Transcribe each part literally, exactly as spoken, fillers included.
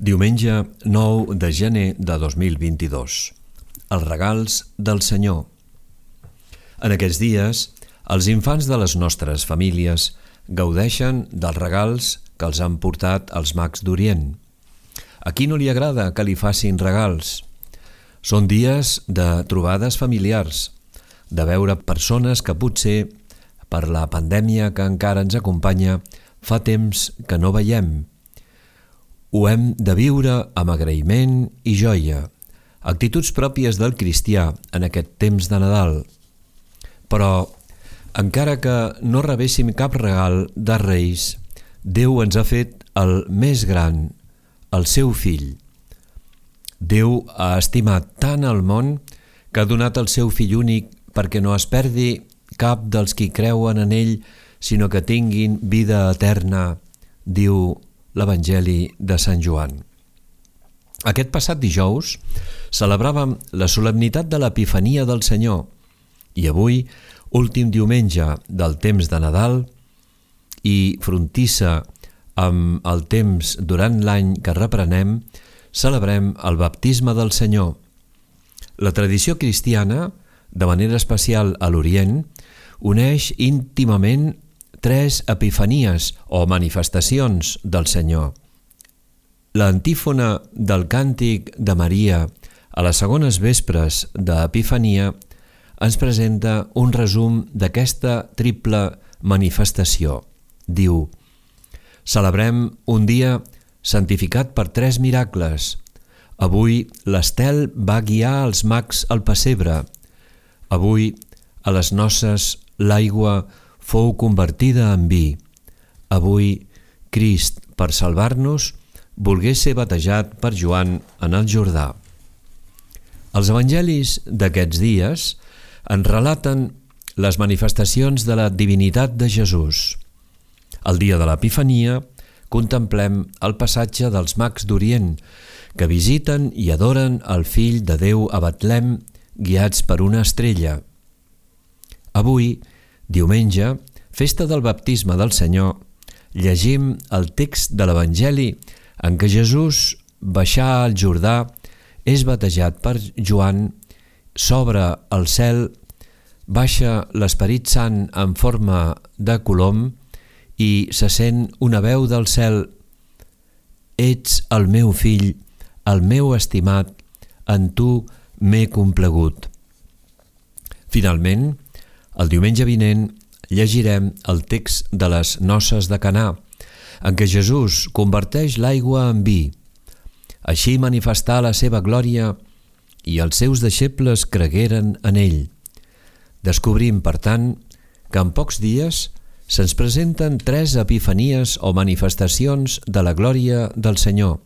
Diumenge nou de gener de dos mil vint-i-dos. Els regals del Senyor. En aquests dies, els infants de les nostres famílies gaudeixen dels regals que els han portat els mags d'Orient. A qui no li agrada que li facin regals? Són dies de trobades familiars, de veure persones que potser, per la pandèmia que encara ens acompanya, fa temps que no veiem. Ho hem de viure amb agraïment i joia, actituds pròpies del cristià en aquest temps de Nadal. Però, encara que no rebéssim cap regal de Reis, Déu ens ha fet el més gran, el seu fill. Déu ha estimat tant el món que ha donat el seu fill únic perquè no es perdi cap dels qui creuen en ell, sinó que tinguin vida eterna, diu l'Evangeli de Sant Joan. Aquest passat dijous celebràvem la solemnitat de l'Epifania del Senyor i avui, últim diumenge del temps de Nadal i frontissa amb el temps durant l'any que reprenem, celebrem el baptisme del Senyor. La tradició cristiana, de manera especial a l'Orient, uneix íntimament tres epifanies o manifestacions del Senyor. L'antífona del càntic de Maria a les segones vespres d'Epifania ens presenta un resum d'aquesta triple manifestació. Diu: celebrem un dia santificat per tres miracles. Avui l'estel va guiar els mags al pessebre. Avui, a les noces, l'aigua fou convertida en vi. Avui, Crist, per salvar-nos, volgué ser batejat per Joan en el Jordà. Els evangelis d'aquests dies ens relaten les manifestacions de la divinitat de Jesús. El dia de l'Epifania contemplem el passatge dels mags d'Orient que visiten i adoren el Fill de Déu a Betlem guiats per una estrella. Avui, diumenge, festa del baptisme del Senyor, llegim el text de l'Evangeli en què Jesús baixà al Jordà, és batejat per Joan, s'obre el cel, baixa l'Esperit Sant en forma de colom i se sent una veu del cel: «Ets el meu fill, el meu estimat, en tu m'he complagut». Finalment, el diumenge vinent llegirem el text de les noces de Canà, en què Jesús converteix l'aigua en vi. Així manifestà la seva glòria i els seus deixebles cregueren en ell. Descobrim, per tant, que en pocs dies se'ns presenten tres epifanies o manifestacions de la glòria del Senyor.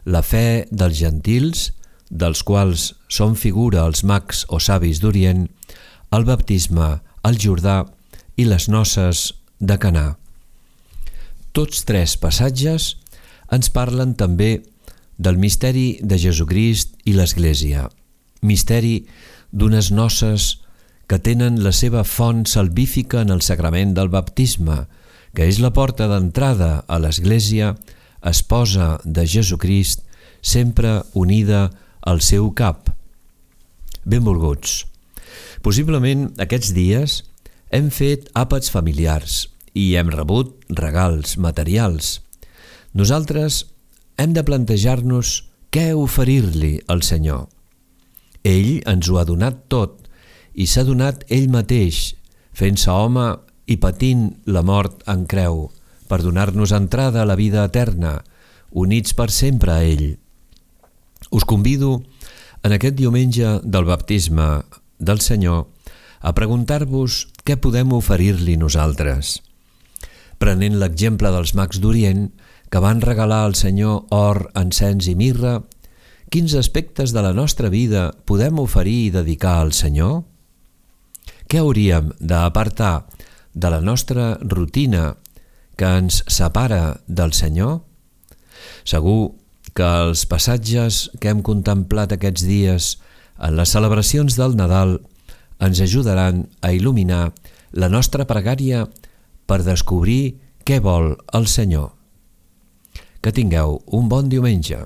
La fe dels gentils, dels quals són figura els mags o savis d'Orient, el baptisme, el Jordà i les noces de Canà. Tots tres passatges ens parlen també del misteri de Jesucrist i l'Església, misteri d'unes noces que tenen la seva font salvífica en el sagrament del baptisme, que és la porta d'entrada a l'Església, esposa de Jesucrist, sempre unida al seu cap. Benvolguts. Possiblement aquests dies hem fet àpats familiars i hem rebut regals materials. Nosaltres hem de plantejar-nos què oferir-li al Senyor. Ell ens ho ha donat tot i s'ha donat ell mateix, fent-se home i patint la mort en creu, per donar-nos entrada a la vida eterna, units per sempre a ell. Us convido, en aquest diumenge del baptisme del Senyor, a preguntar-vos què podem oferir-li nosaltres. Prenent l'exemple dels mags d'Orient, que van regalar al Senyor or, encens i mirra, quins aspectes de la nostra vida podem oferir i dedicar al Senyor? Què hauríem d'apartar de la nostra rutina que ens separa del Senyor? Segur que els passatges que hem contemplat aquests dies en les celebracions del Nadal ens ajudaran a il·luminar la nostra pregària per descobrir què vol el Senyor. Que tingueu un bon diumenge.